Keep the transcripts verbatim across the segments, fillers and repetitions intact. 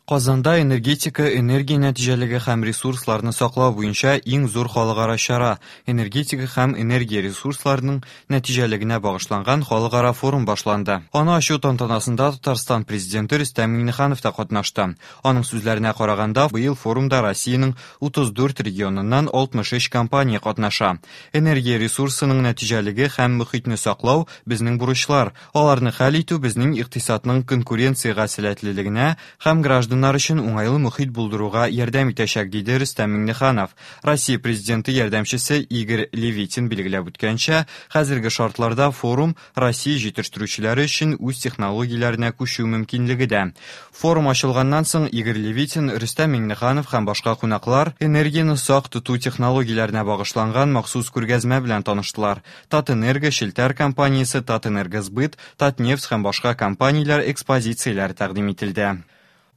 Казанда энергетика, энергия нәтиҗәлеге һәм ресурсларны саклау буенча иң зур халыкара чара энергетика һәм энергия ресурсларының нәтиҗәлегенә багышланган халыкара форум башланды. Аны ачу тантанасында Татарстан президенты Рөстәм Миңнеханов та катнашты. Аның сүзләренә караганда, быел форумда Россиянең утыз дүрт регионыннан алтмыш өч компания катнаша. Энергия ресурсының нәтиҗәлеге һәм мөхитне саклау безнең бурычлар. Аларны хәл итү безнең икътисадның конкуренциягә сәләтлелегенә һәм гражданнар өчен уңайлы мөхит булдыруга ярдәм итәчәк, диде Рөстәм Миңнеханов. Россия президенты ярдәмчесе Игорь Левитин билгеләп үткәнчә, хәзерге шартларда форум Россия җитештерүчеләре өчен үз технологияләренә күчү мөмкинлеге дә. Форум ачылганнан соң Игорь Левитин, Рөстәм Миңнеханов һәм башка кунаклар энергияне сак тоту технологияләренә багышланган махсус күргәзмә белән таныштылар. Татэнерго челтәр компаниясе, Татэнергосбыт, Татнефть һәм башка компанияләр экспозицияләре тәкъдим ителде.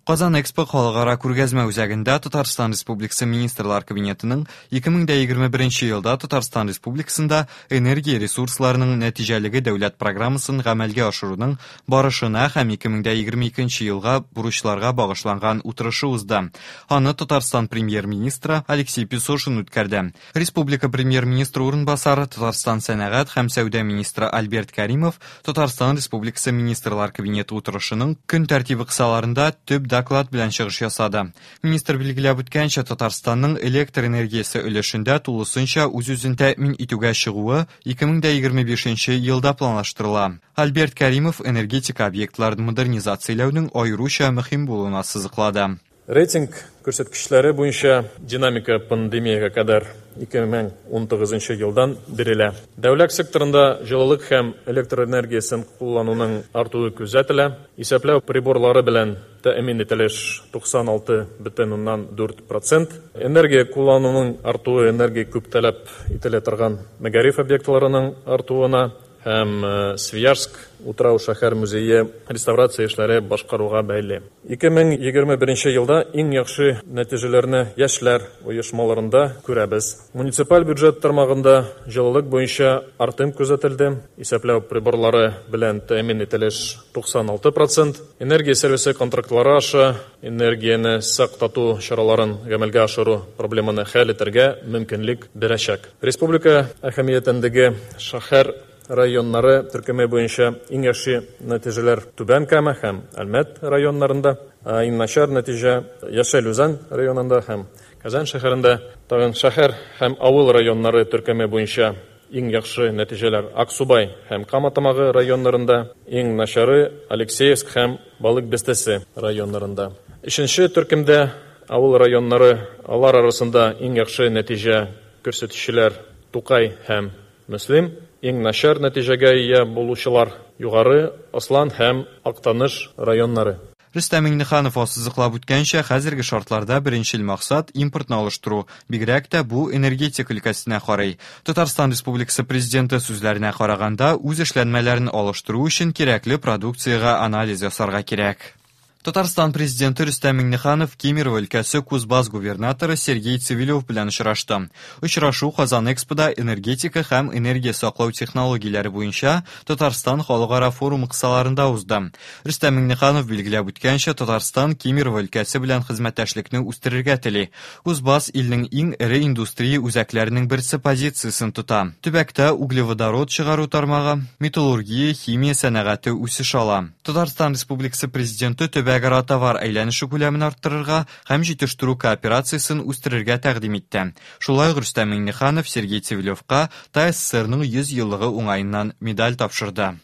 Казан Экспо халыкара күргәзмә үзәгендә Татарстан Республикасы Министрлар Кабинетының ике мең дә егерме беренче елда Татарстан Республикасында энергия ресурсларының нәтиҗәлеге дәүләт программасын гамәлгә ашыруның барышына һәм ике мең дә егерме икенче елга бурычларга багышланган утырышы узды. Аны Татарстан премьер-министры Алексей Песошин үткәрде. Республика премьер-министры урынбасары Татарстан сәнәгать һәм сәүдә министры Альберт Каримов Татарстан Республикасы Министрлар Кабинеты утырышының көн тәртибе кысаларында төп доклад белән чыгыш ясады. Министр билгеләп үткәнчә, Татарстанның электр энергиясе өлешендә тулысынча үз-үзен тәэмин итүгә чыгуы ике мең дә егерме бишенче елда планлаштырыла. Альберт Каримов энергетика объектларын модернизацияләүнең аеруча мөһим булуын ассызыклады. Рейтинг күрсәткечләре буенча динамика пандемиягә кадәр ике мең ун тугызынчы елдан бирелә. Дәүләт секторында җылылык һәм электр энергиясен куллануның артуы күзәтелә. Исәпләү приборлары белән тәэмин ителеш туксан алты бөтен уннан дүрт процент. Энергия куллануның артуы энергия күп таләп ителә торган мәгариф объектларының артуына һәм, э, Свияжск утрау шәһәр музее реставрация эшләре башкаруга бәйле. Ике мең егерме беренче елда иң яхшы нәтиҗәләрне яшьләр оешмаларында күрәбез. Муниципаль бюджет тармагында җылылык буенча артым күзәтелде. Исәпләү приборлары белән тәэмин ителеш туксан алты процент. Энергия сервисы контрактлары аша энергияне сак тоту чараларын гамәлгә ашыру проблеманы хәл итәргә мөмкинлек бирәчәк. Республика әһәмиятендәге шәһәр районнары төркеме буенча иң яхшы нәтиҗәләр Түбән Кама һәм Әлмәт районнарында, ә иң начар нәтиҗә Яшел Үзән районында һәм Казан шәһәрендә. Тагын шәһәр һәм авыл районнары төркеме буенча иң яхшы нәтиҗәләр Аксубай һәм Кама Тамагы районнарында, иң начары Алексеевск һәм Балык Бистәсе районнарында. Өченче төркемдә авыл районнары, алар арасында иң яхшы нәтиҗә күрсәтүчеләр Тукай һәм Мөслим, иң начар нәтиҗәгә ия булучылар Югары Ослан һәм Актаныш районнары. Рөстәм Миңнеханов ассызыклап үткәнчә, хәзерге шартларда беренчел максат импортны алыштыру, бигрәк тә бу энергетика өлкәсенә карый. Татарстан Республикасы президенты сүзләренә караганда, үз эшләнмәләрен алыштыру өчен кирәкле продукциягә анализ ясарга кирәк. Татарстан президенты Рөстәм Миңнеханов Кемерово өлкәсе Кузбасс губернаторы Сергей Цивилев белән очрашты. Очрашу Казан Экспода энергетика һәм энергия саклау технологияләре буенча Татарстан халыкара форумы кысаларында узды. Рөстәм Миңнеханов билгеләп үткәнчә, Татарстан Кемерово өлкәсе белән хезмәттәшлекне үстерергә тели. Кузбасс илнең иң эре индустрия үзәкләренең берсе позициясен тота. Төбәктә углеводород чыгару тармагы, металлургия, химия сәнәгате үсеш ала. Татарстан Республикасы президенты төбәк Төбәкара товар әйләнеше күләмен арттырырга һәм җитештерү кооперациясен үстерергә тәкъдим итте. Шулай ук Рөстәм Миңнеханов Сергей Цивилевка ТАССРның йөз еллыгы уңаеннан медаль тапшырды.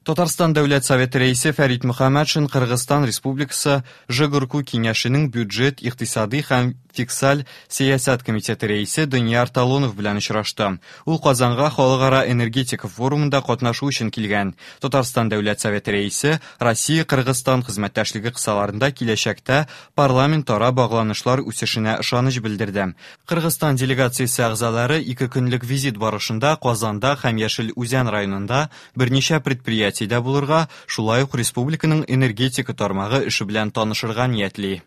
Татарстан Дәүләт Советы рәисе Фәрит Мөхәммәтшин Кыргызстан Республикасы Жогорку Киңәшенең бюджет, икътисади һәм фискаль сәясәт комитеты рәисе Данияр Талонов белән очрашты. Ул Казанга халыкара энергетика форумында катнашу өчен килгән. Татарстан Дәүләт Советы рәисе Россия-Кыргызстан хезмәттәшлеге кысаларында киләчәктә парламентара багланышлар үсешенә ышаныч белдерде. Кыргызстан делегациясе әгъзалары ике көнлек визит барышында Казанда һәм Яшел Үзән районында берничә предприятиедә булырга, шулай ук республиканың энергетика тармагы эше белән танышырга ниятли.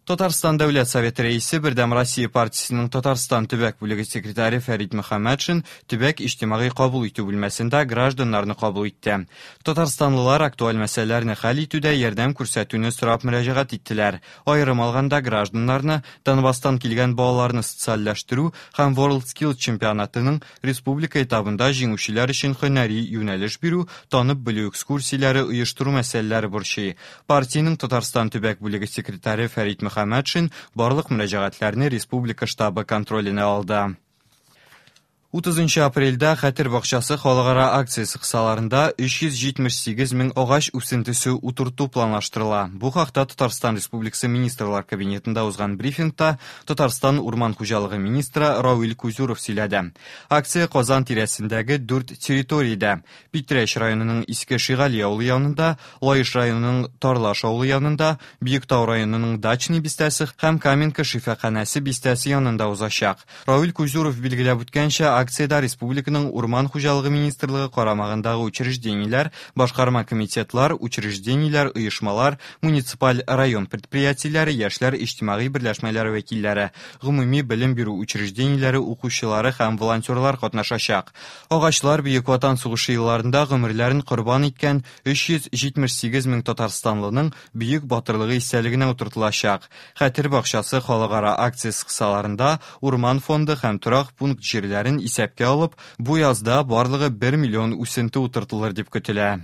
Татарстан Дәүләт Советы рәисе, Бердәм Россия партиясенең Татарстан төбәк бүлеге секретаре Фәрит Мөхәммәтшин төбәк иҗтимагый кабул итү бүлмәсендә гражданнарны кабул итте. Татарстанлылар актуаль мәсьәләләрне хәл итүдә ярдәм күрсәтүне сорап мөрәҗәгать иттеләр. Аерым алганда, гражданнарны Донбасстан килгән балаларны социальләштерү һәм WorldSkills чемпионатының республика этабында җиңүчеләр өчен һөнәри юнәлеш бирү, танып белү экскурсияләре оештыру мәсьәләләре борчый. Партиянең Татарстан төбәк бүлеге секретаре Фәрит Мөхәммәтшин барлык мөрәҗәгатьләрне республика штабы контроленә алды. Утызынчы апрельдә Хәтер бакчасы халыкара акциясе кысаларында өч йөз җитмеш сигез мең агач үсентесе утырту планлаштырыла. Бу хакта Татарстан Республикасы Министрлар Кабинетында узган брифингта Татарстан Урман хуҗалыгы министры Равил Кузюров сөйләде. Акция Казан тирәсендәге дүрт территориядә: Питрәч районының Иске Шигали авылы янында, Лаеш районының Тарлаш авылы янында, Биектау районының Дачный бистәсе һәм Каменка шифаханәсе бистәсе янында узачак. Равил Кузюров билгеләп үткәнчә, акциядә республиканың Урман хуҗалыгы министрлыгы карамагындагы учреждениеләр, башкарма комитетлар, учреждениеләр, оешмалар, муниципаль район предприятиеләре, яшьләр иҗтимагый берләшмәләре вәкилләре, гомуми белем бирү учреждениеләре укучылары һәм волонтерлар катнашачак. Агачлар Бөек Ватан сугышы елларында гомерләрен корбан иткән өч йөз җитмеш сигез мең татарстанлының бөек батырлыгы истәлегенә утыртылачак. Хәтер бакчасы халыкара акциясе кысаларында урман фонды һәм торак пункт җирләрен исәпкә алып, бу язда барлыгы бер миллион үсенте утыртылыр дип көтелә.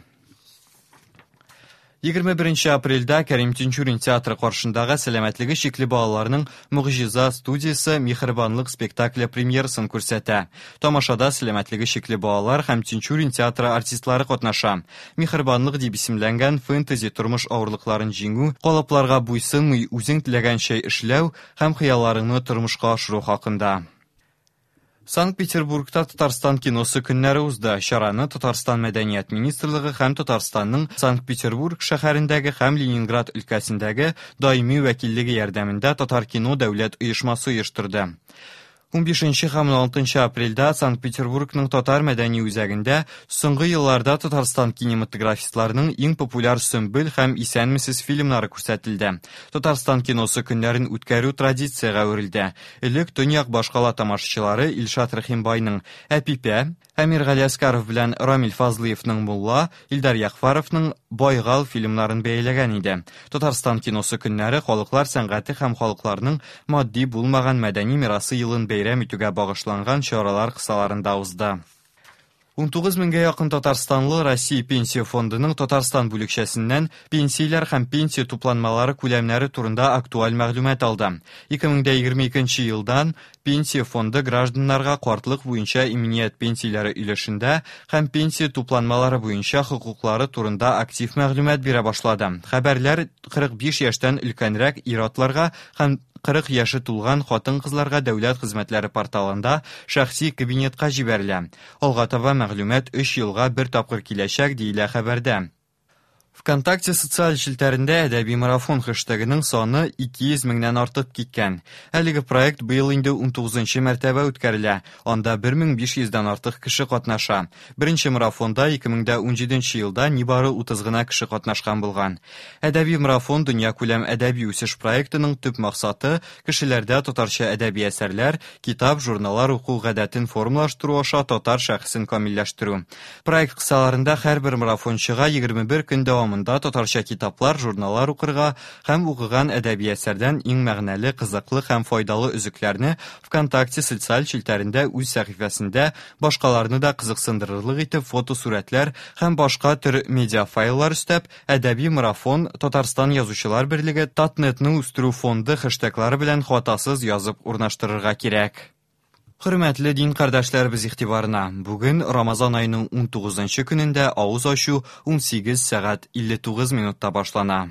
Егерме беренче апрельдә Кәрим Тинчурин театры каршындагы сәламәтлеге чикле балаларның Могҗиза студиясе Миһербанлык спектакле премьерасын күрсәтә. Тамашада сәламәтлеге чикле балалар һәм Тинчурин театры артистлары катнаша. Миһербанлык дип исемләнгән фэнтези тормыш авырлыкларын җиңү, калыпларга буйсынмый үзең теләгәнчә эшләү һәм хыялларыңны тормышка ашыру хакында. Санкт-Петербургта Татарстан киносы көннәре узды. Чараны Татарстан Мәдәният министрлыгы һәм Татарстанның Санкт-Петербург шәһәрендәге һәм Ленинград өлкәсендәге даими вәкиллеге ярдәмендә Татар кино дәүләт оешмасы оештырды. Унбишенче һәм уналтынчы апрельдә Санкт-Петербургның Татар мәдәни үзәгендә соңгы елларда Татарстан кинематографистларының иң популяр Сөмбел һәм Исәнмесез фильмнары күрсәтелде. Татарстан киносы көннәрен үткәрү традициягә әверелде. Элек төньяк башкала тамашачылары Илшат Рәхимбайның Әпипә, Әмир Галиәскаров белән Рамил Фазлыевның Мулла, Илдар Яғфаровның Байгал фильмнарын бәяләгән иде. Татарстан киносы көннәре халыклар сәнгате һәм халыкларның матди булмаган мәдәни мирасы елын бәйрәм итүгә багышланган чаралар кысаларында узды. Унтугыз меңгә якын татарстанлы Россия Пенсия фондының Татарстан бүлекчәсеннән пенсияләр һәм пенсия тупланмалары күләмнәре турында актуаль мәгълүмат алды. Ике мең дә егерме икенче елдан Пенсия фонды гражданнарга картлык буенча иминият пенсияләре өлешендә һәм пенсия тупланмалары буенча хокуклары турында актив мәгълүмат бирә башлады. Хәбәрләр кырык биш яшьтән өлкәнрәк ир-атларга һәм кырык яше тулган хатын-кызларга дәүләт хезмәтләре порталында шәхси кабинетка җибәрелә. Алга таба мәгълүмат өч елга бер тапкыр киләчәк, диелә хәбәрдә. ВКонтакте социаль челтәрендә әдәби марафон хэштегының саны ике йөз меңнән артып киткән. Әлеге проект быел инде унтугызынчы мәртәбә үткәрелә. Анда бер мең биш йөздән артык кеше катнаша. Беренче марафонда ике мең дә унҗиденче елда нибары утыз гына кеше катнашкан булган. Әдәби марафон дөньякүләм әдәби үсеш проектының төп максаты кешеләрдә татарча әдәби әсәрләр, китап, журналлар уку гадәтен формалаштыру аша татар шәхесен камилләштерү. Проект кысаларында һәрбер марафончыга егерме бер көн дәвамында татарча китаплар, журналлар укырга һәм укыган әдәби әсәрдән иң мәгънәле, кызыклы һәм файдалы өзекләрне ВКонтакте социаль челтәрендә үз сәхифәсендә башкаларны да кызыксындырырлык итеп фотосурәтләр һәм башка төр медиафайлар өстәп, әдәби марафон Татарстан Язучылар берлеге Татнетны үстерү фонды хэштеглары белән хатасыз язып урнаштырырга кирәк. Хөрмәтле дин кардәшләребез игътибарына, бүген Рамазан аеның унтугызынчы көнендә авыз ачу унсигез сәгать илле тугыз минутта башлана.